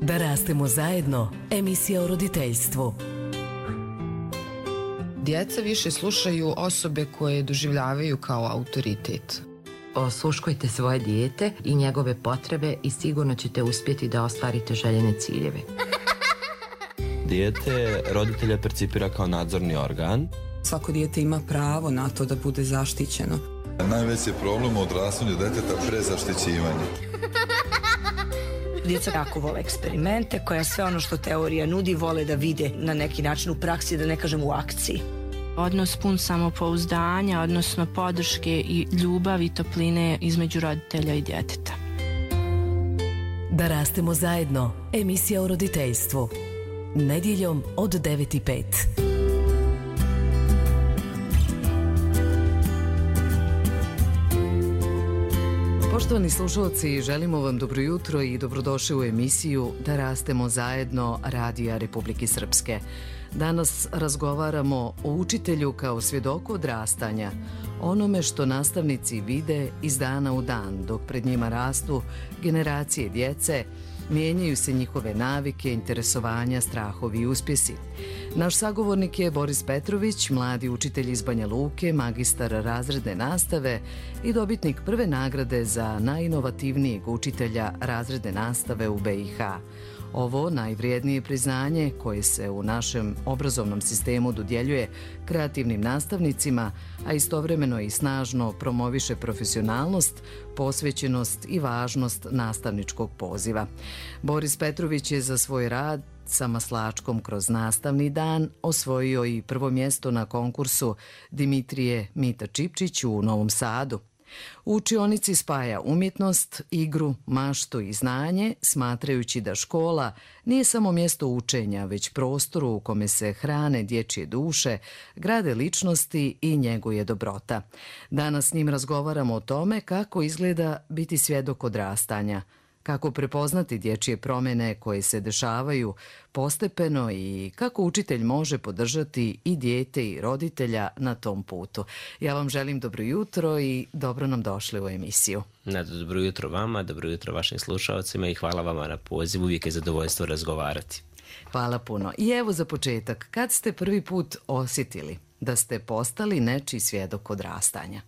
Da rastemo zajedno, emisija o roditeljstvu. Djeca više slušaju osobe koje doživljavaju kao autoritet. Osluškujte svoje dijete i njegove potrebe i sigurno ćete uspjeti da ostvarite željene ciljeve. Dijete roditelja percipira kao nadzorni organ. Svako dijete ima pravo na to da bude zaštićeno. Najveći je problem u odrastanju djeteta prezaštićivanje. Djeca jako vole eksperimente, koja sve ono što teorija nudi vole da vide na neki način u praksi, da ne kažem u akciji. Odnos pun samopouzdanja, odnosno podrške i ljubavi i topline između roditelja i djeteta. Da rastemo zajedno, emisija o roditeljstvu. Nedjeljom od 9:05. Poštovani slušalci, želimo vam dobro jutro i dobrodošli u emisiju Da rastemo zajedno Radija Republike Srpske. Danas razgovaramo o učitelju kao svjedoku odrastanja, onome što nastavnici vide iz dana u dan, dok pred njima rastu generacije djece, mijenjaju se njihove navike, interesovanja, strahovi i uspjesi. Naš sagovornik je Boris Petrović, mladi učitelj iz Banja Luke, magistar razredne nastave i dobitnik prve nagrade za najinovativnijeg učitelja razredne nastave u BiH. Ovo najvrijednije priznanje koje se u našem obrazovnom sistemu dodjeljuje kreativnim nastavnicima, a istovremeno i snažno promoviše profesionalnost, posvećenost i važnost nastavničkog poziva. Boris Petrović je za svoj rad sa maslačkom kroz nastavni dan osvojio i prvo mjesto na konkursu Dimitrije Mita Čipčić u Novom Sadu. U učionici spaja umjetnost, igru, maštu i znanje, smatrajući da škola nije samo mjesto učenja, već prostoru u kome se hrane dječje duše, grade ličnosti i njeguje dobrota. Danas s njim razgovaramo o tome kako izgleda biti svjedok odrastanja, kako prepoznati dječje promjene koje se dešavaju postepeno i kako učitelj može podržati i dijete i roditelja na tom putu. Ja vam želim dobro jutro i dobro nam došli u emisiju. Dobro jutro vama, dobro jutro vašim slušalcima i hvala vama na pozivu, uvijek je zadovoljstvo razgovarati. Hvala puno. I evo za početak, kad ste prvi put osjetili da ste postali nečiji svjedok odrastanja?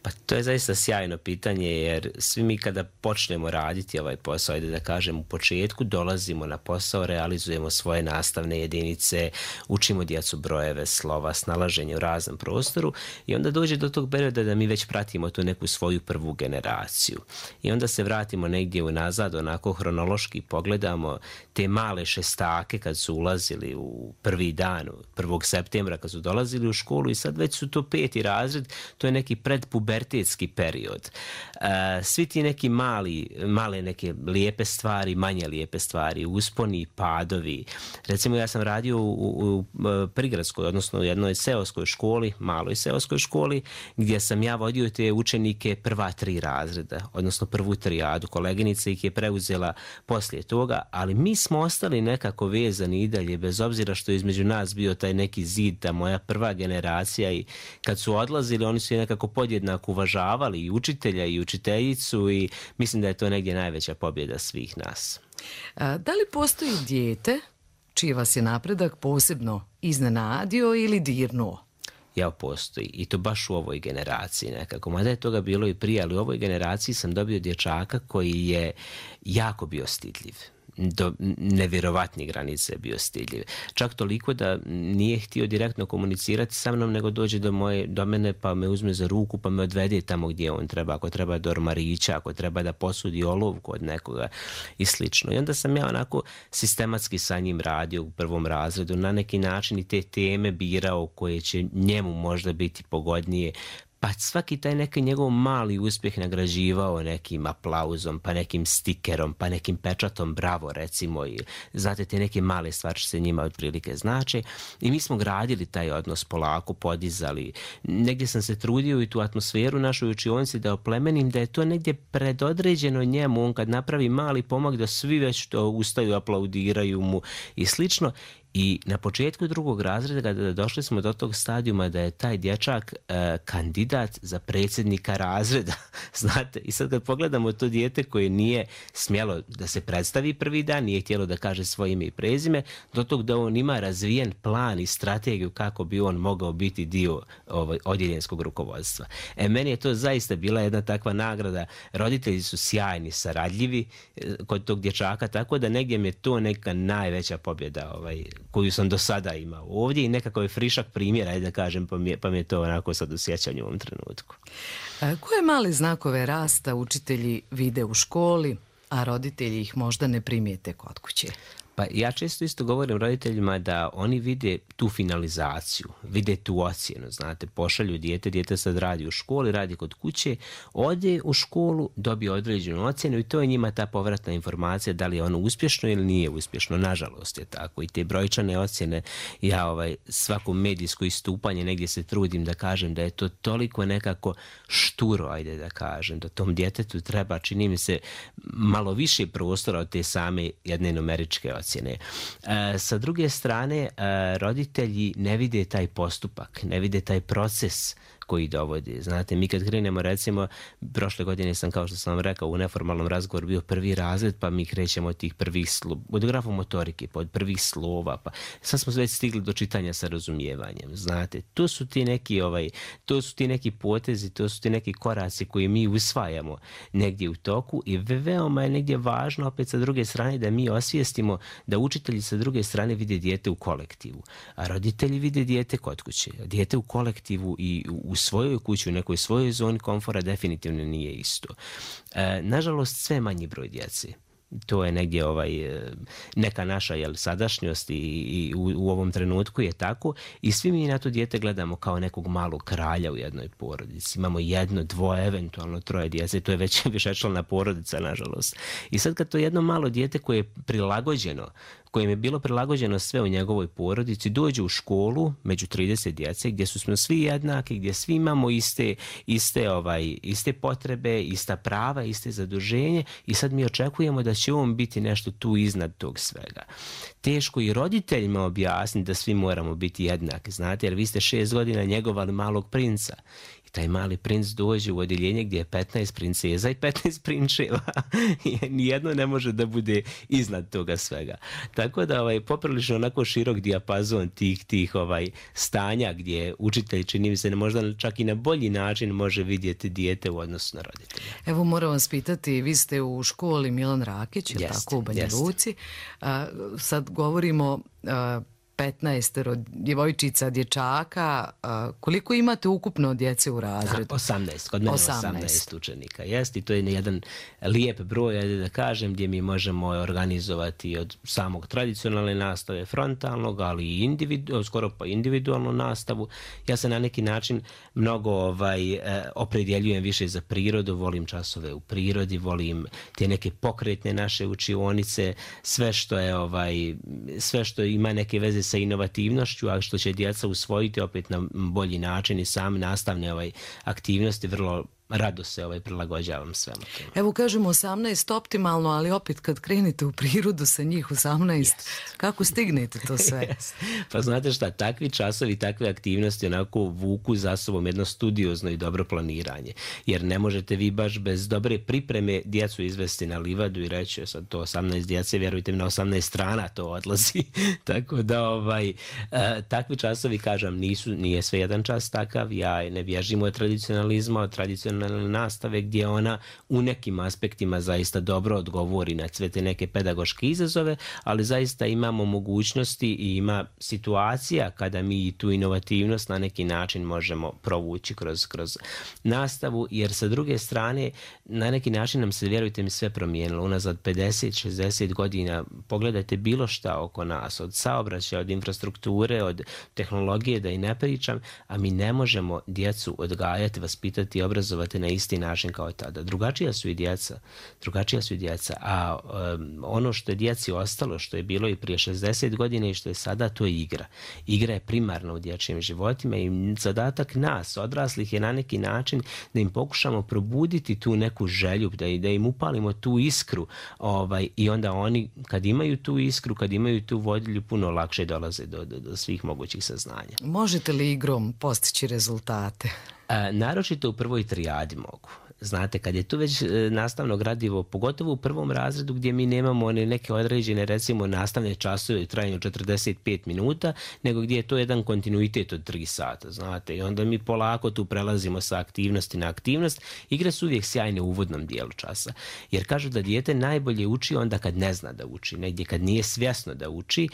Pa to je zaista sjajno pitanje, jer svi mi kada počnemo raditi ovaj posao, ajde da kažem u početku, dolazimo na posao, realizujemo svoje nastavne jedinice, učimo djecu brojeve, slova, snalaženje u raznom prostoru i onda dođe do tog perioda da mi već pratimo tu neku svoju prvu generaciju. I onda se vratimo negdje unazad, onako hronološki pogledamo te male šestake kad su ulazili u prvi dan, 1. septembra kad su dolazili u školu i sad već su to 5. razred, to je neki predpubertetski period. Svi ti neki male neke lijepe stvari, manje lijepe stvari, usponi, padovi. Recimo ja sam radio u prigradskoj, odnosno u jednoj seoskoj školi, maloj seoskoj školi, gdje sam ja vodio te učenike prva 3 razreda, odnosno prvu trijadu. Koleginica ih je preuzela poslije toga, ali mi smo ostali nekako vezani i dalje, bez obzira što je između nas bio taj neki zid, ta moja prva generacija, i kad su odlazili oni su je nekako podjednako uvažavali i učitelja i učiteljicu i mislim da je to negdje najveća pobjeda svih nas. Da li postoji dijete čiji vas je napredak posebno iznenadio ili dirnuo? Ja, postoji i to baš u ovoj generaciji nekako. Mada je toga bilo i prije, ali u ovoj generaciji sam dobio dječaka koji je jako bio stidljiv. Do nevjerovatnih granice je bio stidljiv. Čak toliko da nije htio direktno komunicirati sa mnom, nego dođe do mene pa me uzme za ruku pa me odvede tamo gdje on treba, ako treba do ormarića, ako treba da posudi olovku od nekoga i slično. I onda sam ja onako sistematski sa njim radio u 1. razredu, na neki način i te teme birao koje će njemu možda biti pogodnije, pa svaki taj neki njegov mali uspjeh nagrađivao nekim aplauzom, pa nekim stikerom, pa nekim pečatom bravo recimo, i znate te neke male stvari što se njima otprilike znače, i mi smo gradili taj odnos polako, podizali. Negdje sam se trudio i tu atmosferu našoj učionici da oplemenim, da je to negdje predodređeno njemu, on kad napravi mali pomak da svi već to ustaju, aplaudiraju mu i slično. I na početku 2. razreda došli smo do tog stadijuma da je taj dječak kandidat za predsjednika razreda. Znate, i sad kad pogledamo to dijete koje nije smjelo da se predstavi prvi dan, nije htjelo da kaže svoje ime i prezime, do tog da on ima razvijen plan i strategiju kako bi on mogao biti dio odjeljenskog rukovodstva. Meni je to zaista bila jedna takva nagrada. Roditelji su sjajni, saradljivi kod tog dječaka, tako da negdje mi je to neka najveća pobjeda koju sam do sada imao ovdje i nekako je frišak primjera, ajde da kažem, pa mi je to onako sad u sjećanju u ovom trenutku. Koje male znakove rasta učitelji vide u školi, a roditelji ih možda ne primijete kod kuće? Pa ja često isto govorim roditeljima da oni vide tu finalizaciju, vide tu ocjenu, znate, pošalju dijete sad radi u školi, radi kod kuće, ode u školu, dobije određenu ocjenu i to je njima ta povratna informacija da li je ono uspješno ili nije uspješno. Nažalost je tako i te brojčane ocjene, ja svako medijsko istupanje negdje se trudim da kažem da je to toliko nekako šturo, ajde da kažem, da tom djetetu treba, čini mi se, malo više prostora od te same jedne numeričke ocjene. Sa druge strane, roditelji ne vide taj postupak, ne vide taj proces koji dovodi. Znate, mi kad krenemo, recimo, prošle godine sam, kao što sam vam rekao, u neformalnom razgovoru bio 1. razred, pa mi krećemo od tih prvih od grafomotorike, pa od prvih slova, pa sad smo već stigli do čitanja sa razumijevanjem. Znate, to su ti neki potezi, to su ti neki koraci koji mi usvajamo negdje u toku i veoma je negdje važno, opet sa druge strane, da mi osvijestimo da učitelji sa druge strane vide dijete u kolektivu, a roditelji vide dijete kod kuće. Dijete u kolektivu i u svojoj kući, u nekoj svojoj zoni komfora definitivno nije isto. Nažalost, sve manji broj djece. To je negdje neka naša sadašnjost i u ovom trenutku je tako i svi mi na to dijete gledamo kao nekog malog kralja u jednoj porodici. Imamo 1, 2, eventualno 3 djece, to je već višečlana porodica, nažalost. I sad kad to jedno malo dijete koje je prilagođeno, kojem je bilo prilagođeno sve u njegovoj porodici, dođe u školu među 30 djece gdje smo svi jednaki, gdje svi imamo iste potrebe, ista prava, iste zaduženje i sad mi očekujemo da će on biti nešto tu iznad tog svega. Teško i roditeljima objasniti da svi moramo biti jednaki, znate, jer vi ste 6 godina njegovali malog princa. Taj mali princ dođe u odjeljenje gdje je 15 princeza i 15 prinčeva. Nijedno ne može da bude iznad toga svega. Tako da poprilično onako širok dijapazon tih stanja gdje učitelj, čini mi se, možda čak i na bolji način može vidjeti dijete u odnosu na roditelja. Evo, moram vas pitati, vi ste u školi Milan Rakić, je tako, u Banja Luci. Sad govorimo 15 djevojčica, dječaka. Koliko imate ukupno djece u razredu? 18, kod mene 18 učenika. Jest, i to je jedan lijep broj, ajde da kažem, gdje mi možemo organizovati od samog tradicionalne nastave, frontalnog, ali i skoro pa individualnu nastavu. Ja se na neki način mnogo opredjeljujem više za prirodu, volim časove u prirodi, volim te neke pokretne naše učionice, sve što ima neke veze sa inovativnošću, a što će djeca usvojiti opet na bolji način i same nastavne aktivnosti, vrlo rado se prilagođavam svemu tome. Evo, kažemo 18 optimalno, ali opet kad krenete u prirodu sa njih 18, kako stignete to sve? Pa znate šta, takvi časovi, takve aktivnosti onako vuku za sobom jedno studiozno i dobro planiranje. Jer ne možete vi baš bez dobre pripreme djecu izvesti na livadu i reći sad to 18 djece, vjerujte mi, na 18 strana to odlazi. Tako da takvi časovi, kažem, nije sve jedan čas takav. Ja ne bježim od tradicionalizma, od tradicionalne nastave gdje ona u nekim aspektima zaista dobro odgovori na sve te neke pedagoške izazove, ali zaista imamo mogućnosti i ima situacija kada mi tu inovativnost na neki način možemo provući kroz nastavu, jer sa druge strane na neki način nam se, vjerujte mi, sve promijenilo. Unazad 50-60 godina pogledajte bilo šta oko nas, od saobraćaja, od infrastrukture, od tehnologije, da i ne pričam, a mi ne možemo djecu odgajati, vaspitati i obrazovati realizovati na isti način kao tada. Drugačija su i djeca, a ono što je djeci ostalo, što je bilo i prije 60 godina i što je sada, to je igra. Igra je primarna u dječjim životima i zadatak nas, odraslih, je na neki način da im pokušamo probuditi tu neku želju, da im upalimo tu iskru, i onda oni kad imaju tu iskru, kad imaju tu vodilju, puno lakše dolaze do svih mogućih saznanja. Možete li igrom postići rezultate? Naročito u prvoj trijadi mogu. Znate, kad je tu već nastavno gradivo, pogotovo u prvom razredu gdje mi nemamo neke određene, recimo, nastavne časove u trajanju 45 minuta, nego gdje je to jedan kontinuitet od 3 sata, znate, i onda mi polako tu prelazimo sa aktivnosti na aktivnost. Igre su uvijek sjajne u uvodnom dijelu časa, jer kažu da dijete najbolje uči onda kad ne zna da uči, negdje kad nije svjesno da uči.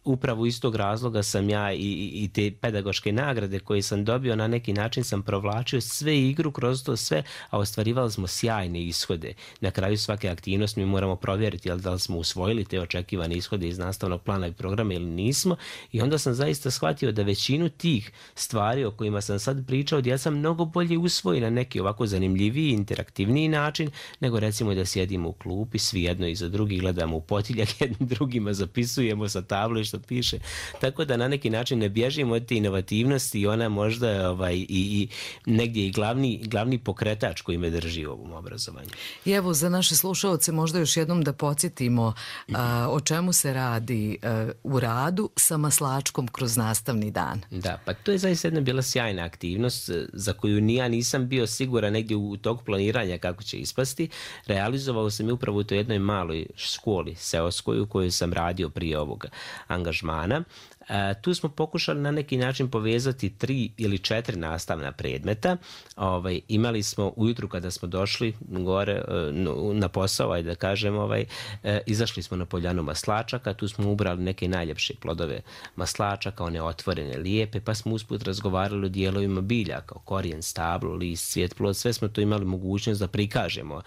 Upravo iz tog razloga sam ja i te pedagoške nagrade koje sam dobio, na neki način sam provlačio sve igru kroz to sve, a ostvarivali smo sjajne ishode. Na kraju svake aktivnosti mi moramo provjeriti da li smo usvojili te očekivane ishode iz nastavnog plana i programa ili nismo, i onda sam zaista shvatio da većinu tih stvari o kojima sam sad pričao djeca mnogo bolje usvoji na neki ovako zanimljiviji, interaktivniji način, nego recimo da sjedimo u klupi, svi jedno iza drugih, gledamo u potiljak, jednim drugima zapisujemo sa tablo što piše. Tako da na neki način ne bježimo od te inovativnosti i ona možda i negdje i glavni pokretač koji me drži u ovom obrazovanju. I evo, za naše slušalce možda još jednom da podsjetimo o čemu se radi u radu sa maslačkom kroz nastavni dan. Da, pa to je zaista jedna bila sjajna aktivnost za koju ja nisam bio siguran negdje u toku planiranja kako će ispasti. Realizovao sam je upravo u toj jednoj maloj školi seoskoj u kojoj sam radio prije ovoga angažmana. Tu smo pokušali na neki način povezati 3 ili 4 nastavna predmeta. Imali smo ujutru kada smo došli gore na posao, da kažem, izašli smo na poljanu maslačaka, tu smo ubrali neke najljepše plodove maslačaka, one otvorene, lijepe, pa smo usput razgovarali o dijelovima bilja, kao korijen, stablo, list, cvijet, plod, sve smo to imali mogućnost da prikažemo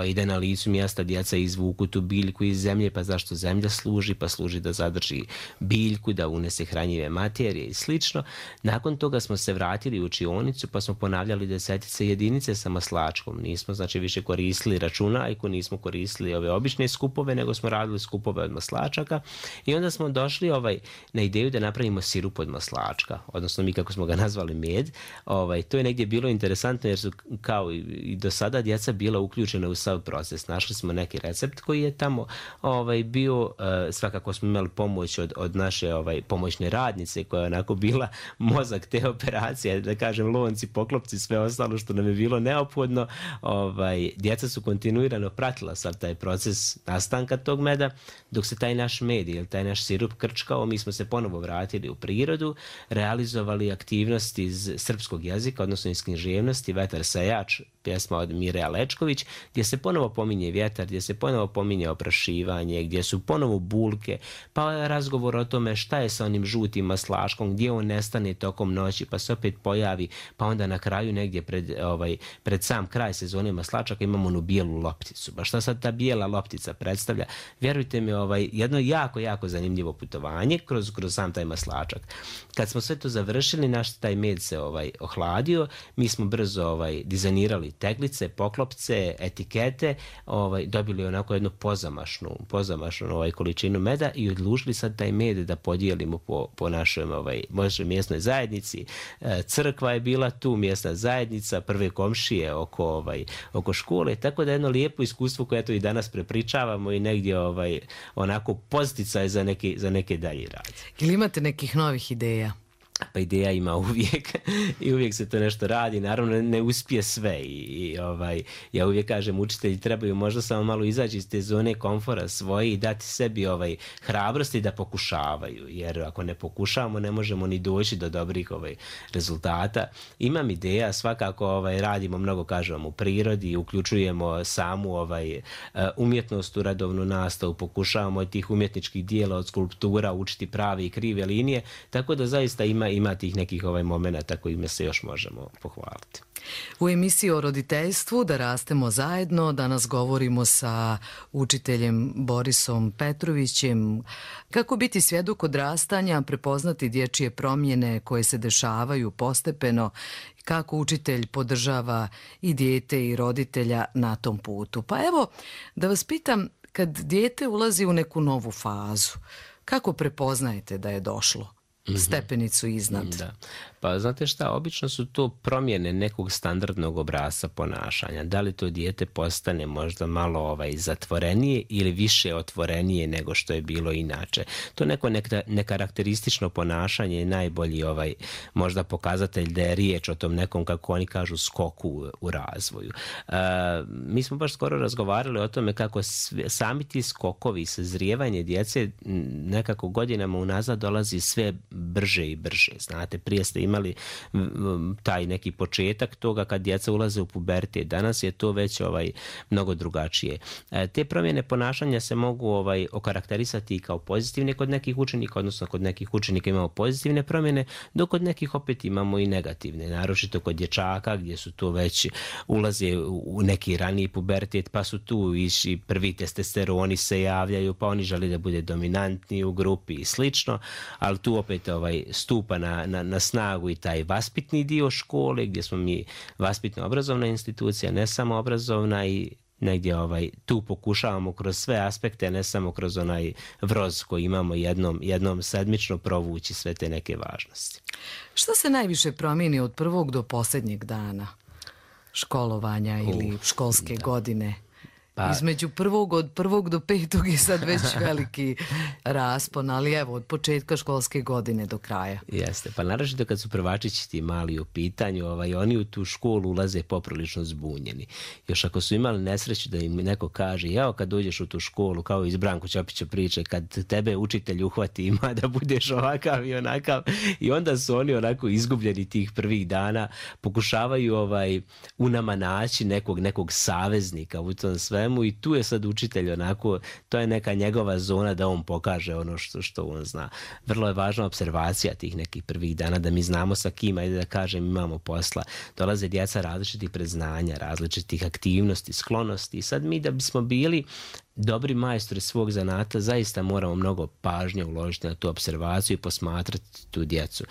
i da na licu mjesta djeca izvuku tu biljku iz zemlje, pa zašto zemlja služi, pa služi da zadrži biljku, da unese hranjive materije i slično. Nakon toga smo se vratili u učionicu pa smo ponavljali desetice jedinice sa maslačkom. Nismo znači više koristili računajku, nismo koristili ove obične skupove, nego smo radili skupove od maslačaka i onda smo došli na ideju da napravimo sirup od maslačka, odnosno mi kako smo ga nazvali med. To je negdje bilo interesantno jer su kao i do sada djeca bila uključena u sav proces. Našli smo neki recept koji je tamo bio, svakako smo imali pomoć od naše pomoćne radnice koja je onako bila mozak te operacije, da kažem lonci, poklopci, sve ostalo što nam je bilo neophodno. Djeca su kontinuirano pratila sad taj proces nastanka tog meda, dok se taj naš med ili taj naš sirup krčkao, mi smo se ponovo vratili u prirodu, realizovali aktivnosti iz srpskog jezika, odnosno iz književnosti, Vetar sajač, pjesma od Mire Alečković, gdje se ponovo pominje vjetar, gdje se ponovo pominje oprašivanje, gdje su ponovo bulke, pa razgovor o tome šta je sa onim žutim maslačkom, gdje on nestane tokom noći, pa se opet pojavi, pa onda na kraju negdje pred sam kraj sezone maslačaka imamo onu bijelu lopticu. Ba šta sad ta bijela loptica predstavlja? Vjerujte mi, jedno jako, jako zanimljivo putovanje kroz sam taj maslačak. Kad smo sve to završili, naš taj med se ohladio, mi smo brzo dizajnirali teglice, poklopce, etikete, dobili onako jednu pozamašnu količinu meda i odlučili sad taj med da podijelimo po našoj mjesnoj zajednici. Crkva je bila tu, mjesna zajednica, prve komšije oko škole, tako da jedno lijepo iskustvo koje to i danas prepričavamo i negdje onako posticaj za neke dalje rad. Ili imate nekih novih ideja? Pa ideja ima uvijek i uvijek se to nešto radi, naravno ne uspije sve i ja uvijek kažem učitelji trebaju možda samo malo izaći iz te zone komfora svoje i dati sebi hrabrosti da pokušavaju, jer ako ne pokušavamo ne možemo ni doći do dobrih rezultata. Imam ideja, svakako radimo mnogo, kažem, u prirodi, uključujemo samu umjetnost u redovnu nastavu, pokušavamo od tih umjetničkih dijela, od skulptura učiti prave i krive linije, tako da zaista ima ima tih nekih momenata kojima se još možemo pohvaliti. U emisiji o roditeljstvu Da rastemo zajedno danas govorimo sa učiteljem Borisom Petrovićem. Kako biti svjedok odrastanja, prepoznati dječje promjene koje se dešavaju postepeno, kako učitelj podržava i dijete i roditelja na tom putu. Pa evo, da vas pitam, kad dijete ulazi u neku novu fazu, kako prepoznajete da je došlo stepenicu iznad? Da. Pa znate šta, obično su to promjene nekog standardnog obrasca ponašanja. Da li to dijete postane možda malo zatvorenije ili više otvorenije nego što je bilo inače. To neko nekarakteristično ponašanje je najbolji možda pokazatelj da je riječ o tom nekom, kako oni kažu, skoku u razvoju. Mi smo baš skoro razgovarali o tome kako sami ti skokovi, sazrijevanje djece nekako godinama unazad dolazi sve brže i brže. Znate, prije ste imali taj neki početak toga kad djeca ulaze u pubertet. Danas je to već mnogo drugačije. Te promjene ponašanja se mogu okarakterisati kao pozitivne kod nekih učenika, odnosno kod nekih učenika imamo pozitivne promjene, dok kod nekih opet imamo i negativne. Naročito kod dječaka gdje su to već ulaze u neki raniji pubertet, pa su tu i prvi testosteroni se javljaju, pa oni žele da bude dominantni u grupi i slično, ali tu opet stupa na snagu i taj vaspitni dio škole gdje smo mi vaspitno-obrazovna institucija, ne samo obrazovna, i negdje tu pokušavamo kroz sve aspekte, ne samo kroz onaj vroz koji imamo jednom sedmično provući sve te neke važnosti. Što se najviše promijeni od prvog do posljednjeg dana školovanja ili školske godine? Između od prvog do petog je sad već veliki raspon, ali evo, od početka školske godine do kraja. Jeste, pa naročito kad su prvačići ti mali u pitanju, oni u tu školu ulaze poprilično zbunjeni. Još ako su imali nesreću da im neko kaže, evo kad dođeš u tu školu, kao iz Branko Ćopića priče, kad tebe učitelj uhvati ima da budeš ovakav i onakav, i onda su oni onako izgubljeni tih prvih dana, pokušavaju u nama naći nekog saveznika u tom svemu, i tu je sad učitelj onako, to je neka njegova zona da on pokaže ono što on zna. Vrlo je važna observacija tih nekih prvih dana, da mi znamo sa kim, ajde da kažem, imamo posla. Dolaze djeca različitih predznanja, različitih aktivnosti, sklonosti, i sad mi da bismo bili dobri majstori svog zanata, zaista moramo mnogo pažnje uložiti na tu observaciju i posmatrati tu djecu.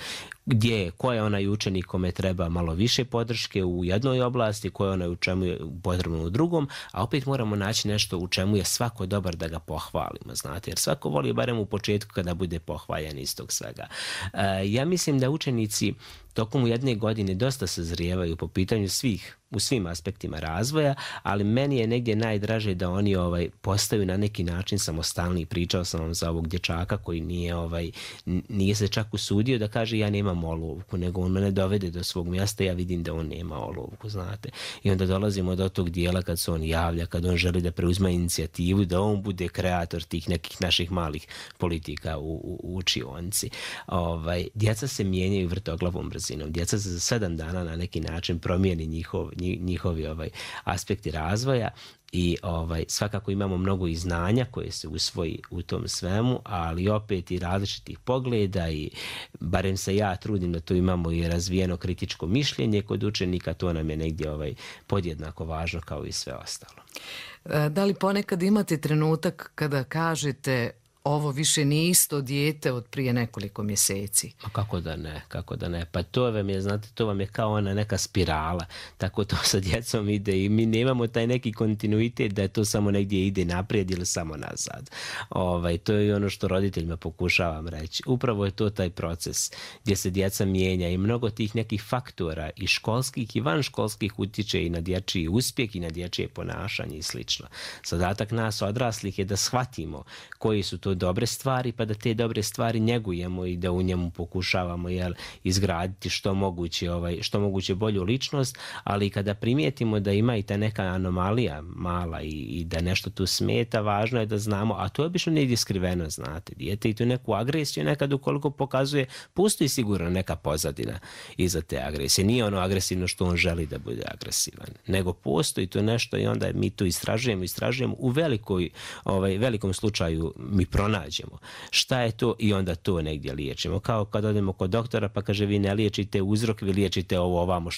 Ko je onaj učenik kome treba malo više podrške u jednoj oblasti, ko je onaj u čemu je potrebno u drugom, a opet moramo naći nešto u čemu je svako dobar da ga pohvalimo, znate, jer svako voli barem u početku kada bude pohvaljen iz tog svega. Ja mislim da učenici tokom jedne godine dosta sazrijevaju po pitanju u svim aspektima razvoja, ali meni je negdje najdraže da oni postaju na neki način samostalni. Pričao sam vam za ovog dječaka koji nije se čak usudio da kaže ja nemam olovku, nego on mene dovede do svog mjesta, ja vidim da on nema olovku, znate. I onda dolazimo do tog dijela kad se on javlja, kad on želi da preuzme inicijativu, da on bude kreator tih nekih naših malih politika u učionci. Djeca se mijenjaju vrtoglavom brzinom. Djeca se za 7 dana na neki način promijeni njihovi aspekti razvoja, i svakako imamo mnogo i znanja koje se usvoji u tom svemu, ali opet i različitih pogleda, i barem se ja trudim da tu imamo i razvijeno kritičko mišljenje kod učenika, to nam je negdje podjednako važno kao i sve ostalo. Da li ponekad imate trenutak kada kažete ovo više nije isto dijete od prije nekoliko mjeseci? Kako da ne. Pa to vam je, znate, to vam je kao ona neka spirala. Tako to sa djecom ide i mi nemamo taj neki kontinuitet da je to samo negdje ide naprijed ili samo nazad. To je ono što roditeljima pokušavam reći. Upravo je to taj proces gdje se djeca mijenja i mnogo tih nekih faktora i školskih i vanškolskih utječe i na dječji uspjeh i na dječje ponašanje i slično. Zadatak nas odraslih je da shvatimo koji su to dobre stvari, pa da te dobre stvari njegujemo i da u njemu pokušavamo izgraditi što moguće bolju ličnost, ali kada primijetimo da ima i ta neka anomalija mala i da nešto tu smeta, važno je da znamo, a to je obično negdje skriveno, znate, dijete i tu neku agresiju nekad ukoliko pokazuje, postoji sigurno neka pozadina iza te agresije. Nije ono agresivno što on želi da bude agresivan, nego postoji tu nešto i onda mi to istražujemo u velikom slučaju mi pronađemo šta je to i onda to negdje liječimo. Kao kad odemo kod doktora pa kaže vi ne liječite uzrok, vi liječite ovo ovamo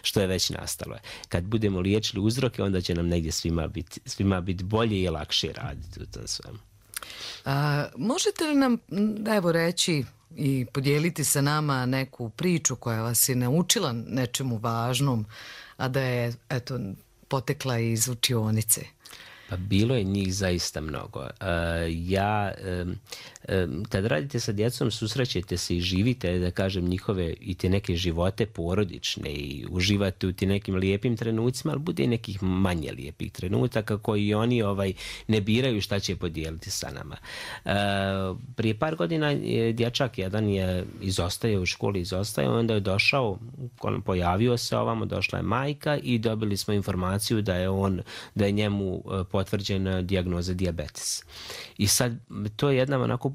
što je već nastalo. Kad budemo liječili uzroke, onda će nam negdje svima biti bolje i lakše raditi u tom svemu. Možete li nam reći i podijeliti sa nama neku priču koja vas je naučila nečemu važnom, a da je potekla iz učionice? Pa bilo je njih zaista mnogo. Kad radite sa djecom, susrećete se i živite, da kažem, njihove i te neke živote porodične i uživate u ti nekim lijepim trenucima, ali bude i nekih manje lijepih trenutaka koji oni ne biraju šta će podijeliti sa nama. Prije par godina dječak jedan je izostajao u školi, onda je došao, pojavio se ovamo, došla je majka i dobili smo informaciju da je njemu potvrđena dijagnoza dijabetes. I sad to je jedna onako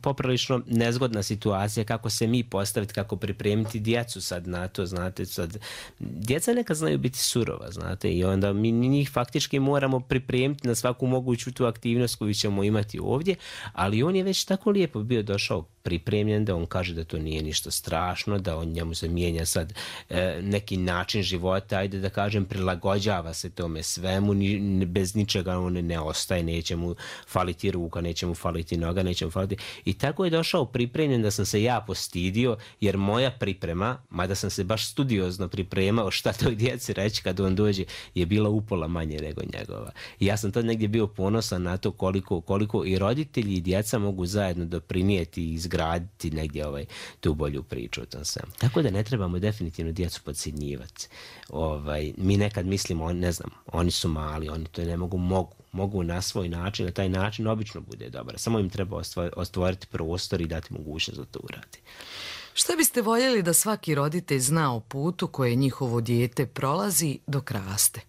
poprilično nezgodna situacija kako se mi postaviti, kako pripremiti djecu sad na to, znate, sad djeca nekad znaju biti surova, znate, i onda mi njih faktički moramo pripremiti na svaku moguću tu aktivnost koju ćemo imati ovdje, ali on je već tako lijepo bio došao pripremljen da on kaže da to nije ništa strašno, da on njemu se mijenja sad neki način života, ajde da kažem, prilagođava se tome svemu, bez ničega on ne ostaje, neće mu faliti ruka, neće mu faliti noga, neće mu faliti. I tako je došao pripremljen da sam se ja postidio, jer moja priprema, mada sam se baš studiozno pripremao šta toj djeci reći kad on dođe, je bila upola manje nego njegova. I ja sam tad negdje bio ponosan na to koliko i roditelji i djeca mogu zajedno doprinijeti i izgraditi negdje tu bolju priču o tom svemu. Tako da ne trebamo definitivno djecu podcjenjivati. Mi nekad mislimo, ne znam, oni su mali, oni to ne mogu na svoj način, na taj način obično bude dobar. Samo im treba ostvoriti prostor i dati mogućnost da to uradi. Šta biste voljeli da svaki roditelj zna o putu koje njihovo dijete prolazi dok raste?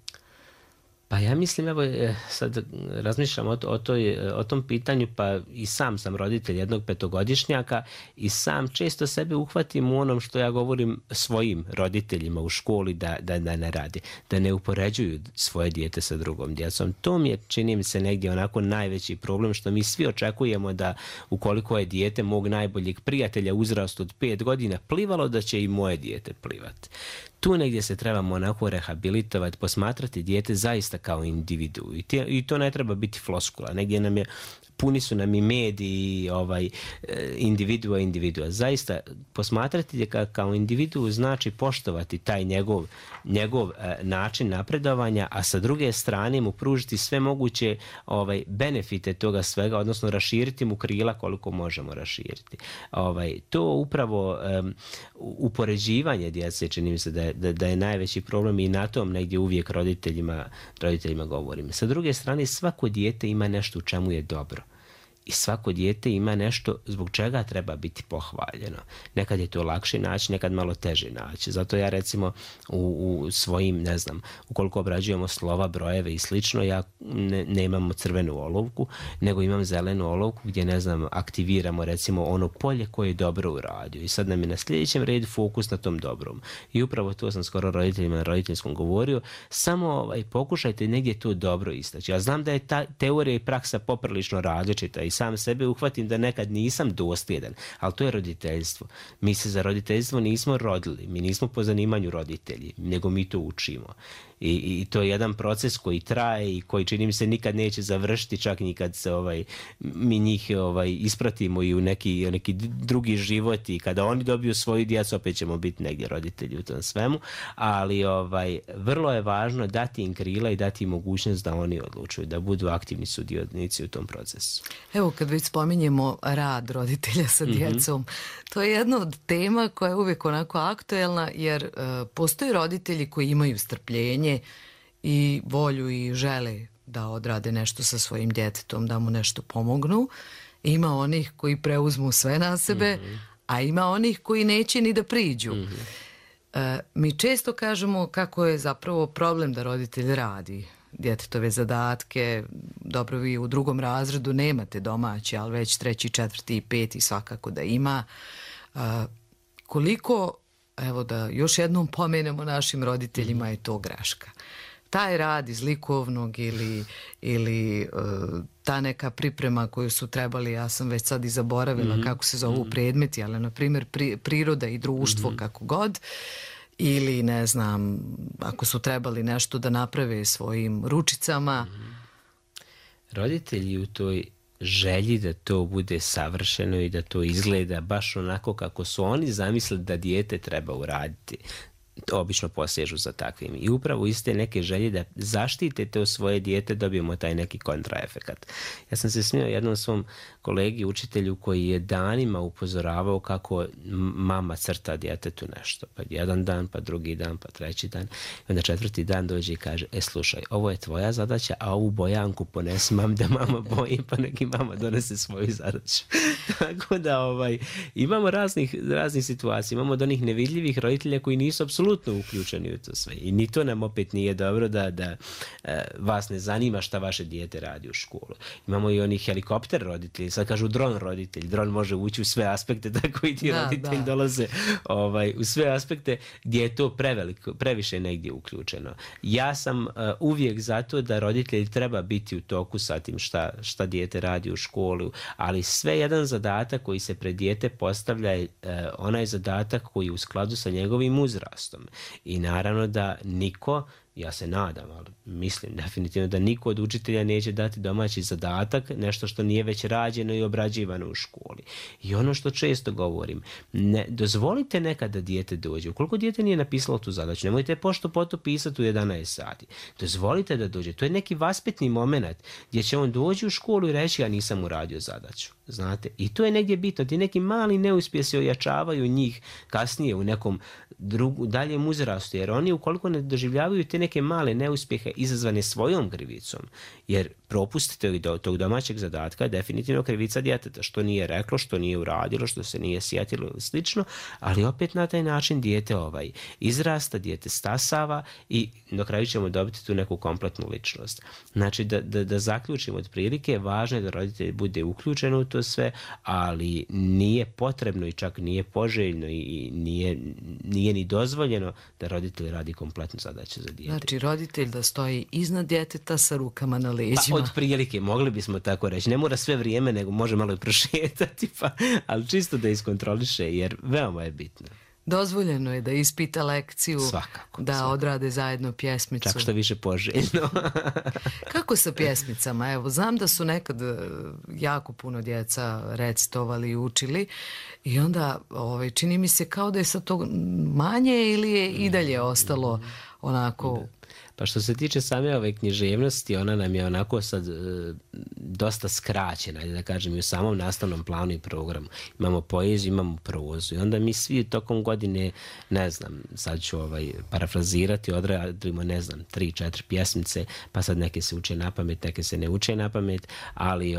Pa ja mislim, evo sad razmišljam o tom pitanju, pa i sam sam roditelj jednog 5-godišnjaka i sam često sebe uhvatim u onom što ja govorim svojim roditeljima u školi da ne radi, da ne upoređuju svoje dijete sa drugom djecom. To mi je, čini mi se, negdje onako najveći problem, što mi svi očekujemo da ukoliko je dijete mog najboljeg prijatelja uzrastu od 5 godina plivalo, da će i moje dijete plivati. Tu negdje se trebamo onako rehabilitovati, posmatrati dijete zaista kao individu. I to ne treba biti floskula. Negdje puni su nam i mediji individua. Zaista posmatrati ga kao individu znači poštovati taj njegov način napredovanja, a sa druge strane mu pružiti sve moguće benefite toga svega, odnosno raširiti mu krila koliko možemo raširiti. To upravo upoređivanje djece, čini mi se da je najveći problem i na tom negdje uvijek roditeljima govorim. Sa druge strane, svako dijete ima nešto u čemu je dobro. I svako dijete ima nešto zbog čega treba biti pohvaljeno. Nekad je to lakše naći, nekad malo teže naći. Zato ja recimo u svojim, ne znam, ukoliko obrađujemo slova, brojeve i slično, ja nemam crvenu olovku, nego imam zelenu olovku gdje, ne znam, aktiviramo recimo ono polje koje je dobro uradio. I sad nam je na sljedećem redu fokus na tom dobrom. I upravo to sam skoro roditeljima na roditeljskom govorio. Samo pokušajte negdje to dobro istaći. Ja znam da je ta teorija i praksa poprilično različita i sam sebe uhvatim da nekad nisam dosljedan, ali to je roditeljstvo. Mi se za roditeljstvo nismo rodili, mi nismo po zanimanju roditelji, nego mi to učimo. I to je jedan proces koji traje i koji, čini mi se, nikad neće završiti, čak ni kad se mi njih ispratimo i u neki drugi život i kada oni dobiju svoju djecu, opet ćemo biti negdje roditelji u tom svemu, ali vrlo je važno dati im krila i dati im mogućnost da oni odlučuju, da budu aktivni sudionici u tom procesu. Evo, kad već spominjemo rad roditelja sa djecom, to je jedna od tema koja je uvijek onako aktuelna, jer postoje roditelji koji imaju strpljenje i volju i žele da odrade nešto sa svojim djetetom, da mu nešto pomognu. Ima onih koji preuzmu sve na sebe, a ima onih koji neće ni da priđu. Mi često kažemo kako je zapravo problem da roditelj radi djetetove zadatke. Dobro, vi u 2. razredu nemate domaći, ali već 3., 4. i 5. svakako da ima. Koliko, evo da još jednom pomenemo našim roditeljima, je to greška. taj rad iz likovnog ili ta neka priprema koju su trebali, ja sam već sad i zaboravila kako se zovu predmeti, ali na primjer priroda i društvo, kako god, ili ne znam, ako su trebali nešto da naprave svojim ručicama. Roditelji u toj želji da to bude savršeno i da to izgleda baš onako kako su oni zamislili da dijete treba uraditi, obično posežu za takvim. I upravo iz te neke želje da zaštite to svoje dijete dobijemo taj neki kontraefekat. Ja sam se smio jednom svom kolegi, učitelju, koji je danima upozoravao kako mama crta djetetu nešto. Pa jedan dan, pa drugi dan, pa treći dan. I onda četvrti dan dođe i kaže, slušaj, ovo je tvoja zadaća, a ovu bojanku ponesi mam da mama boji, pa neki mama donese svoju zadaću. Tako da imamo raznih situacija. Imamo od onih nevidljivih roditelja koji nisu apsolutno uključeni u to sve. I ni to nam opet nije dobro da vas ne zanima šta vaše dijete radi u školu. Imamo i onih helikopter roditelji, sad kažu dron roditelj. Dron može ući u sve aspekte, tako i ti roditelji dolaze u sve aspekte gdje je to previše negdje uključeno. Ja sam uvijek zato da roditelji treba biti u toku sa tim šta dijete radi u školu, ali sve jedan zadatak koji se pred dijete postavlja je onaj zadatak koji je u skladu sa njegovim uzrastom. I naravno da niko, ja se nadam, ali mislim definitivno da niko od učitelja neće dati domaći zadatak, nešto što nije već rađeno i obrađivano u školi. I ono što često govorim, dozvolite nekad da dijete dođe. Ukoliko dijete nije napisalo tu zadaću, nemojte pošto poto pisati u 11 sati. Dozvolite da dođe. To je neki vaspitni moment gdje će on doći u školu i reći ja nisam uradio zadaću. Znate? I to je negdje bitno. Ti neki mali neuspjesi ojačavaju njih kasnije u nekom daljem uzrastu, jer oni ukoliko ne doživljavaju te neke male neuspjehe izazvane svojom krivicom, jer propustite tog domaćeg zadatka je definitivno krivica djeteta, što nije reklo, što nije uradilo, što se nije sjetilo ili slično, ali opet na taj način dijete izrasta, dijete stasava i na kraju ćemo dobiti tu neku kompletnu ličnost. Znači da zaključimo otprilike, važno je da roditelj bude uključen u to sve, ali nije potrebno i čak nije poželjno i nije ni dozvoljeno da roditelj radi kompletnu zadaću za dijete. Znači roditelj da stoji iznad djeteta sa rukama na leđima. Od prilike, mogli bismo tako reći. Ne mora sve vrijeme, nego može malo i prošetati, ali čisto da iskontroliše, jer veoma je bitno. Dozvoljeno je da ispita lekciju, svakako. Odrade zajedno pjesmicu. Čak što više poželjno. Kako sa pjesmicama? Evo, znam da su nekad jako puno djeca recitovali i učili i onda čini mi se kao da je sad to manje ili je i dalje ostalo onako... Pa što se tiče same ove književnosti, ona nam je onako sad dosta skraćena, da kažem, i u samom nastavnom planu i programu. Imamo poeziju, imamo prozu i onda mi svi tokom godine, ne znam, sad ću parafrazirati, odradimo, ne znam, 3-4 pjesmice, pa sad neke se uče na pamet, neke se ne uče na pamet, ali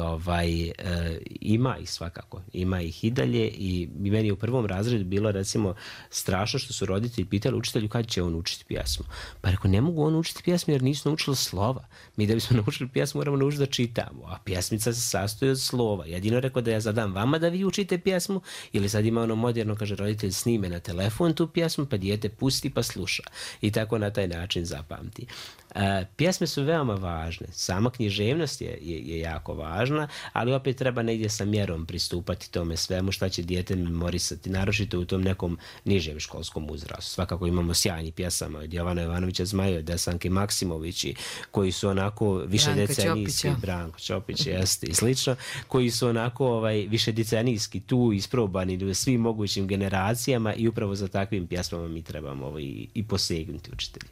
ima ih svakako, ima ih i dalje i meni je u prvom razredu bilo recimo strašno što su roditelji pitali učitelju kad će on učiti pjesmu. Pa rekao, ne mogu on učiti pjesmu jer nisu naučili slova. Mi da bismo naučili pjesmu moramo naučiti da čitamo, a pjesmica se sastoji od slova. Jedino rekao da ja zadam vama da vi učite pjesmu ili sad ima ono moderno, kaže roditelj snime na telefon tu pjesmu pa dijete pusti pa sluša i tako na taj način zapamti. Pjesme su veoma važne, sama književnost je jako važna, ali opet treba negdje sa mjerom pristupati tome svemu šta će dijete memorisati, naročito u tom nekom nižem školskom uzrastu. Svakako imamo sjajnih pjesama od Jovana Jovanovića Zmaja, od Desanke Maksimovići, koji su onako više decenijski, Branko Ćopić jeste i slično, koji su onako više decenijski tu isprobani u svim mogućim generacijama i upravo za takvim pjesmama mi trebamo i posegnuti učitelji.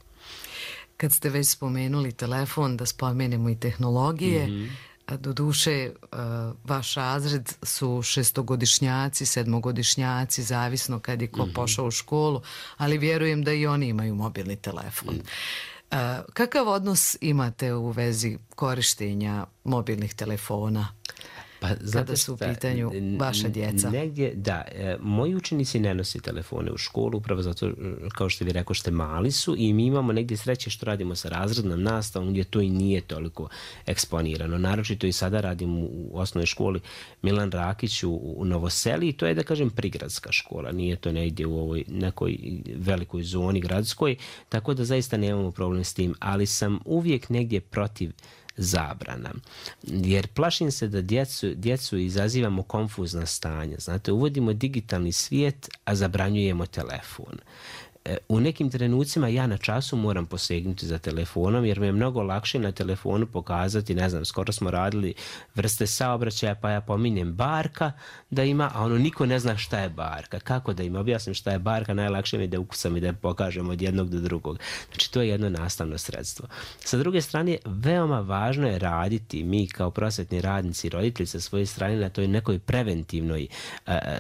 Kad ste već spomenuli telefon, da spomenemo i tehnologije, doduše vaš razred su 6-godišnjaci, 7-godišnjaci, zavisno kad je ko pošao u školu, ali vjerujem da i oni imaju mobilni telefon. Kakav odnos imate u vezi korištenja mobilnih telefona? kada su u pitanju vaša djeca? Negdje, da. Moji učenici ne nose telefone u školu, upravo zato, kao što vi rekao, što mali su i mi imamo negdje sreće što radimo sa razrednom nastavom gdje to i nije toliko eksponirano. Naročito i sada radim u osnovnoj školi Milan Rakić u Novoseli i to je, da kažem, prigradska škola. Nije to negdje u ovoj nekoj velikoj zoni gradskoj, tako da zaista nemamo problem s tim, ali sam uvijek negdje protiv zabrana. Jer plašim se da djecu izazivamo konfuzna stanja. Znate, uvodimo digitalni svijet, a zabranjujemo telefon. U nekim trenucima ja na času moram posegnuti za telefonom jer mi je mnogo lakše na telefonu pokazati, ne znam, skoro smo radili vrste saobraćaja pa ja pominjem barka da ima, a niko ne zna šta je barka. Kako da im objasnim šta je barka? Najlakše mi je da ukucam i da pokažem od jednog do drugog. Znači to je jedno nastavno sredstvo. Sa druge strane, veoma važno je raditi mi kao prosvetni radnici i roditelji sa svoje strane na toj nekoj preventivnoj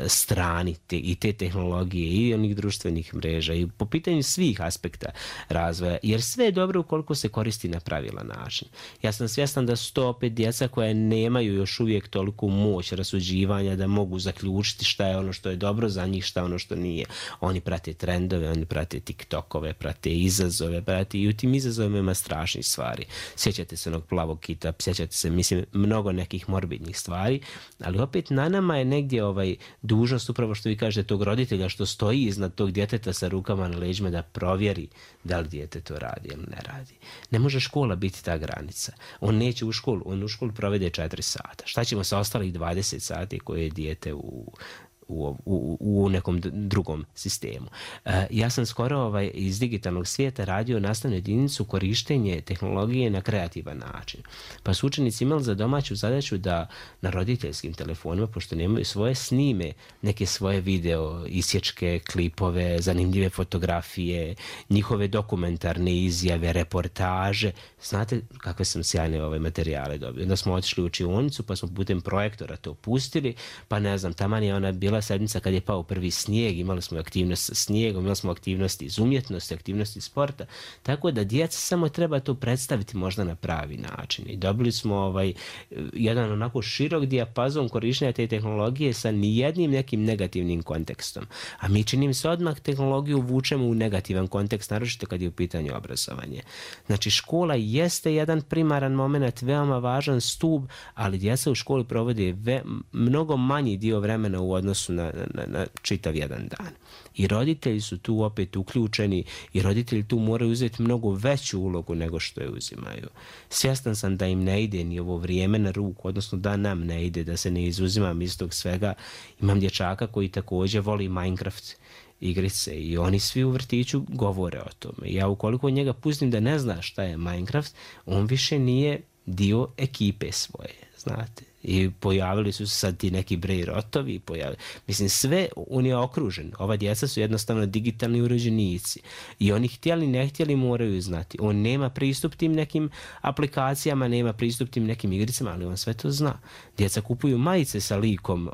strani i te tehnologije i onih društvenih mreža i po pitanju svih aspekta razvoja, jer sve je dobro ukoliko se koristi na pravilan način. Ja sam svjestan da su to opet djeca koja nemaju još uvijek toliku moć rasuđivanja da mogu zaključiti šta je ono što je dobro za njih, šta je ono što nije. Oni prate trendove, oni prate TikTokove, prate izazove, prate i u tim izazovima ima strašnih stvari. Sjećate se onog plavog kita, sjećate se, mislim, mnogo nekih morbidnih stvari, ali opet na nama je negdje dužnost, upravo što vi kažete, tog roditelja što stoji iznad tog djeteta sa rukama na leđima da provjeri da li dijete to radi ili ne radi. Ne može škola biti ta granica. On neće u školu, on u školu provede 4 sata. Šta ćemo sa ostalih 20 sati koje je dijete u nekom drugom sistemu. Ja sam skoro iz digitalnog svijeta radio nastavnu jedinicu korištenje tehnologije na kreativan način. Pa su učenici imali za domaću zadaću da na roditeljskim telefonima, pošto nemaju svoje, snime neke svoje video, isječke, klipove, zanimljive fotografije, njihove dokumentarne izjave, reportaže. Znate kakve sam sjajne materijale dobio. Onda smo otišli u učionicu pa smo putem projektora to pustili, pa ne znam, taman je ona bila sedmica kad je pao prvi snijeg, imali smo aktivnost sa snijegom, imali smo aktivnosti iz umjetnosti, aktivnosti iz sporta, tako da djeca samo treba to predstaviti možda na pravi način. I dobili smo jedan onako širok dijapazon korištenja te tehnologije sa nijednim nekim negativnim kontekstom. A mi čini se odmah tehnologiju vučemo u negativan kontekst, naročito kad je u pitanju obrazovanje. Znači škola jeste jedan primaran moment, veoma važan stup, ali djeca u školi provode mnogo manji dio vremena u odnosu na čitav jedan dan. I roditelji su tu opet uključeni i roditelji tu moraju uzeti mnogo veću ulogu nego što je uzimaju. Svjestan sam da im ne ide ni ovo vrijeme na ruku, odnosno da nam ne ide, da se ne izuzimam iz tog svega. Imam dječaka koji također voli Minecraft igrice i oni svi u vrtiću govore o tome. Ja ukoliko njega pustim da ne zna šta je Minecraft, on više nije dio ekipe svoje, znate. I pojavili su se sad ti neki Brej rotovi. Mislim, sve on je okružen. Ova djeca su jednostavno digitalni uređenici. I oni htjeli, ne htjeli moraju znati. On nema pristup tim nekim aplikacijama, nema pristup tim nekim igricama, ali on sve to zna. Djeca kupuju majice sa likom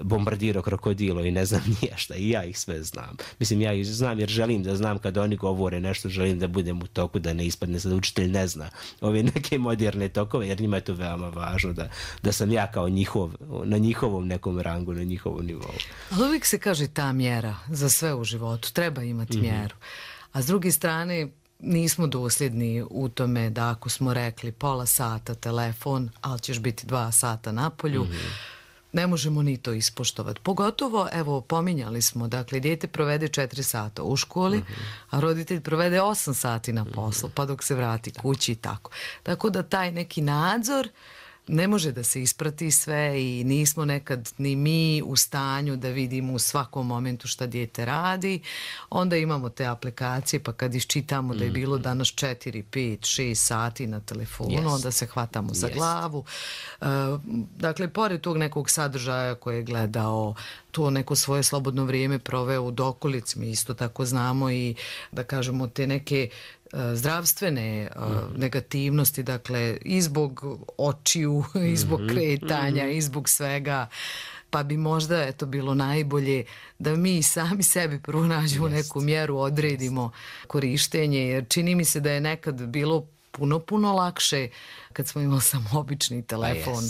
Bombardiro krokodilo i ne znam nije šta. I ja ih sve znam. Mislim, ja ih znam jer želim da znam kad oni govore nešto, želim da budem u toku, da ne ispadne sad učitelj ne zna ove neke moderne tokove, jer njima je to veoma važno da sam ja kao na njihovom nekom rangu, na njihovom nivou. Ali uvijek se kaže ta mjera za sve u životu, treba imati mjeru. A s druge strane, nismo dosljedni u tome da ako smo rekli pola sata telefon, ali ćeš biti 2 sata na polju, ne možemo ni to ispoštovati. Pogotovo, evo, pominjali smo, dakle, dijete provede 4 sata u školi, a roditelj provede 8 sati na poslu, pa dok se vrati kući i tako. Tako da taj neki nadzor ne može da se isprati sve i nismo nekad ni mi u stanju da vidimo u svakom momentu šta dijete radi. Onda imamo te aplikacije, pa kad iščitamo da je bilo danas 4, 5, 6 sati na telefonu, onda se hvatamo za glavu. Dakle, pored tog nekog sadržaja koje je gledao, to neko svoje slobodno vrijeme proveo u dokolici, mi isto tako znamo i da kažemo te neke zdravstvene negativnosti, dakle i zbog očiju, i zbog kretanja, i zbog svega, pa bi možda bilo najbolje da mi sami sebi prvo nađemo neku mjeru, odredimo korištenje, jer čini mi se da je nekad bilo puno lakše kad smo imali samo obični telefon.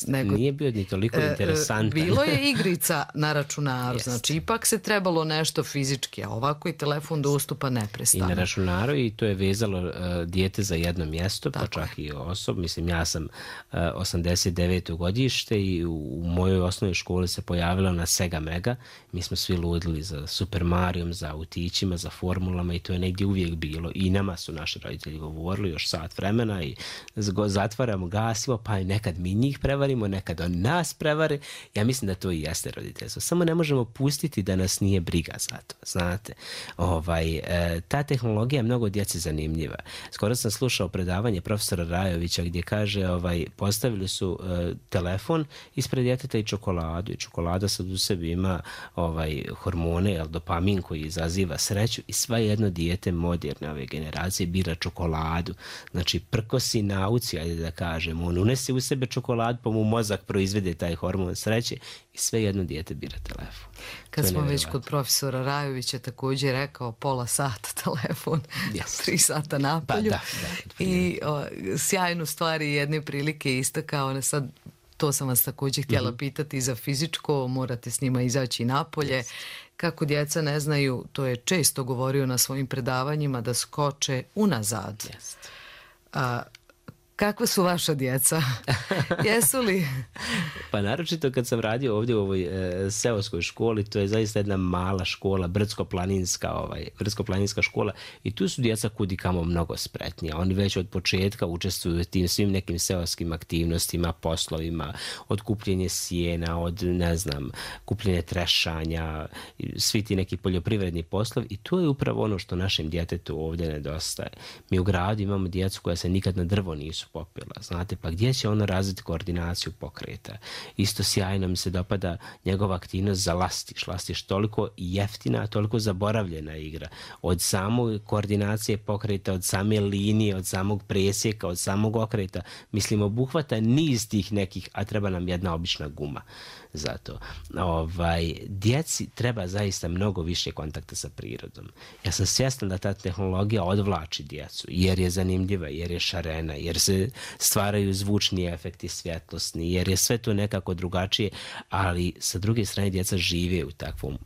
Nego, nije bio ni toliko interesantan. Bilo je igrica na računaru, znači ipak se trebalo nešto fizički, a ovako i telefon dostupa neprestano. I na računaru i to je vezalo dijete za jedno mjesto, pa čak i osob. Mislim, ja sam 89. godište i u mojoj osnovnoj školi se pojavila na Sega Mega. Mi smo svi ludili za Super Marijom, za autićima, za formulama i to je negdje uvijek bilo. I nama su naši roditelji govorili još sat vremena i zatvaramo, gasimo, pa i nekad mi njih prevarimo, nekad on nas prevari. Ja mislim da to i jeste roditeljstvo. Samo ne možemo pustiti da nas nije briga za to, znate. Ta tehnologija je mnogo djeci zanimljiva. Skoro sam slušao predavanje profesora Rajovića gdje kaže, postavili su telefon ispred djeteta i čokoladu. I čokolada sad u sebi ima hormone, dopamin koji izaziva sreću i sva jedno dijete moderne ove generacije bira čokoladu. Znači, prkosi nauci, ajde da kažem, on unese u sebe čokoladu, pa mu mozak proizvede taj hormon sreće i sve jedno dijete bira telefon. Kad smo već kod profesora Rajovića, također rekao pola sata telefon, 3 sata napolju. I sjajnu stvari jedne prilike istakao, sad to sam vas također htjela pitati za fizičko, morate s njima izaći napolje. Kako djeca ne znaju, to je često govorio na svojim predavanjima, da skoče unazad. Kakva su vaša djeca? Jesu li? Pa naročito kad sam radio ovdje u ovoj seoskoj školi, to je zaista jedna mala škola, brdsko-planinska škola i tu su djeca kudikamo mnogo spretnija. Oni već od početka učestvuju u tim svim nekim seoskim aktivnostima, poslovima, od kupljenja sjena, od, kupljenja trešanja, svi ti neki poljoprivredni poslovi i to je upravo ono što našem djetetu ovdje nedostaje. Mi u gradu imamo djecu koja se nikad na drvo nisu popila, znate, pa gdje će ono razviti koordinaciju pokreta? Isto sjajno mi se dopada njegova aktivnost za lastiš. Lastiš toliko jeftina, toliko zaboravljena igra. Od samog koordinacije pokreta, od same linije, od samog presjeka, od samog okreta, mislim, obuhvata niz tih nekih, a treba nam jedna obična guma. Zato, djeci treba zaista mnogo više kontakta sa prirodom. Ja sam svjestan da ta tehnologija odvlači djecu, jer je zanimljiva, jer je šarena, jer se stvaraju zvučni efekti svjetlosni, jer je sve to nekako drugačije, ali sa druge strane djeca žive u takvom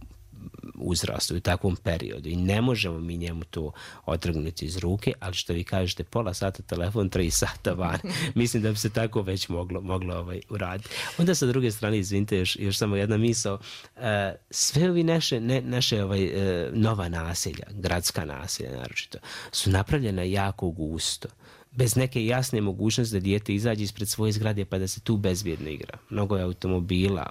uzrastu, u takvom periodu i ne možemo mi njemu to otrgnuti iz ruke, ali što vi kažete, pola sata telefon, 3 sata van. Mislim da bi se tako već moglo uraditi. Onda sa druge strane, izvinite, još samo jedna misao, sve ovi naše nova naselja, gradska naselja naročito, su napravljena jako gusto. Bez neke jasne mogućnosti da dijete izađe ispred svoje zgrade pa da se tu bezbjedno igra. Mnogo je automobila,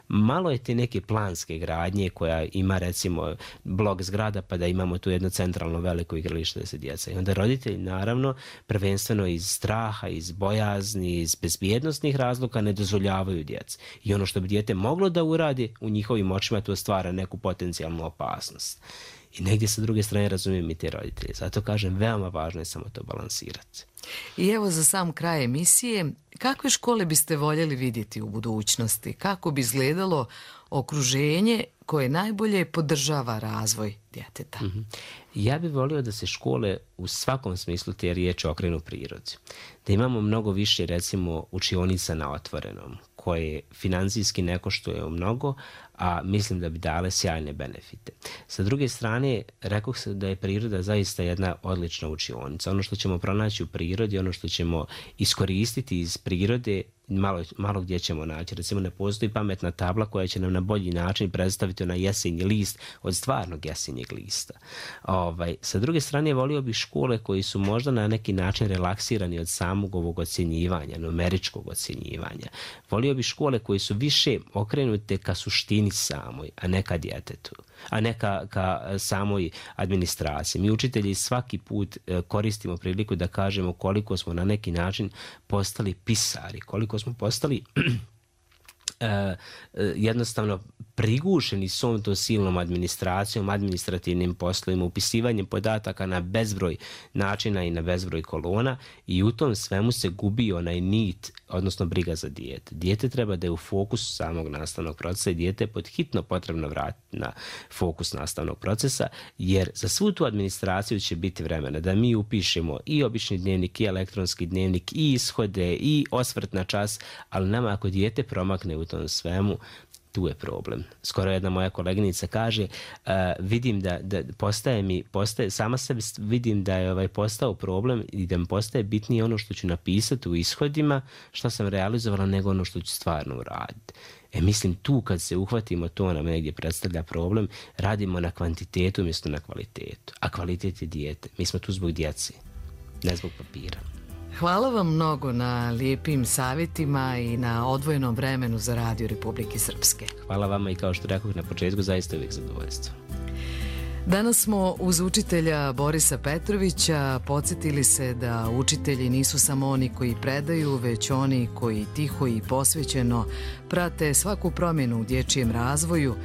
malo je te neke planske gradnje koja ima recimo blok zgrada pa da imamo tu jedno centralno veliko igralište da se djeca. I onda roditelji naravno prvenstveno iz straha, iz bojazni, iz bezbjednostnih razloga ne dozvoljavaju djeci. I ono što bi dijete moglo da uradi u njihovim očima to stvara neku potencijalnu opasnost. I negdje sa druge strane razumijem i te roditelje. Zato kažem, veoma važno je samo to balansirati. I evo za sam kraj emisije, kakve škole biste voljeli vidjeti u budućnosti? Kako bi izgledalo okruženje koje najbolje podržava razvoj djeteta? Ja bih volio da se škole u svakom smislu te riječi okrenu prirodi. Da imamo mnogo više, recimo, učionica na otvorenom, koje financijski ne koštuje mnogo, a mislim da bi dale sjajne benefite. Sa druge strane, rekao sam da je priroda zaista jedna odlična učionica. Ono što ćemo pronaći u prirodi, ono što ćemo iskoristiti iz prirode, malo gdje ćemo naći. Recimo, ne postoji pametna tabla koja će nam na bolji način predstaviti onaj jesenji list od stvarnog jesenjeg lista. Sa druge strane, volio bih škole koji su možda na neki način relaksirani od samog ovog ocjenjivanja, numeričkog ocjenjivanja. Volio bih škole koji su više okrenute ka suštini samoj, a ne ka djetetu, a ne ka samoj administraciji. Mi učitelji svaki put koristimo priliku da kažemo koliko smo na neki način postali pisari, koliko smo postali jednostavno prigušeni svom tom silnom administracijom, administrativnim poslovima, upisivanjem podataka na bezbroj načina i na bezbroj kolona i u tom svemu se gubi onaj nit, odnosno briga za dijete. Dijete treba da je u fokusu samog nastavnog procesa i dijete je pod hitno potrebno vratiti na fokus nastavnog procesa, jer za svu tu administraciju će biti vremena da mi upišemo i obični dnevnik, i elektronski dnevnik, i ishode, i osvrt na čas, ali nama ako dijete promakne u tom svemu, tu je problem. Skoro jedna moja koleginica kaže, vidim da postaje, sama sebi vidim da je postao problem i da mi postaje bitnije ono što ću napisati u ishodima, što sam realizovala, nego ono što ću stvarno uraditi. Mislim, tu kad se uhvatimo, to nam negdje predstavlja problem, radimo na kvantitetu umjesto na kvalitetu. A kvalitet je dijete. Mi smo tu zbog djece, ne zbog papira. Hvala vam mnogo na lijepim savjetima i na odvojenom vremenu za Radio Republike Srpske. Hvala vama i kao što rekoh na početku, zaista uvijek zadovoljstvo. Danas smo uz učitelja Borisa Petrovića podsjetili se da učitelji nisu samo oni koji predaju, već oni koji tiho i posvećeno prate svaku promjenu u dječjem razvoju,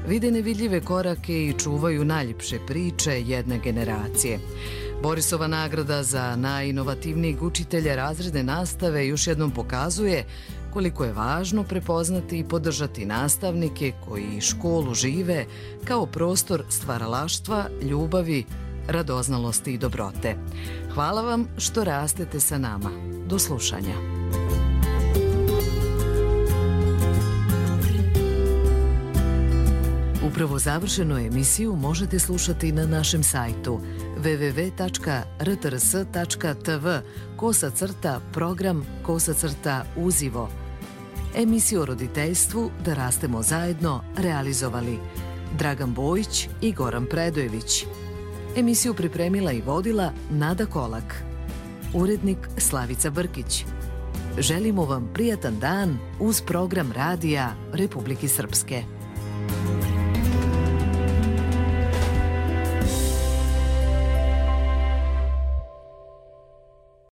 vide nevidljive korake i čuvaju najljepše priče jedne generacije. Borisova nagrada za najinovativnijeg učitelja razredne nastave još jednom pokazuje koliko je važno prepoznati i podržati nastavnike koji školu žive kao prostor stvaralaštva, ljubavi, radoznalosti i dobrote. Hvala vam što rastete sa nama. Do slušanja. Upravo završenu emisiju možete slušati na našem sajtu www.rtrs.tv/program/uzivo. Emisiju o roditeljstvu Da rastemo zajedno realizovali Dragan Bojić i Goran Predojević. Emisiju pripremila i vodila Nada Kolak. Urednik Slavica Brkić. Želimo vam prijatan dan uz program Radija Republike Srpske.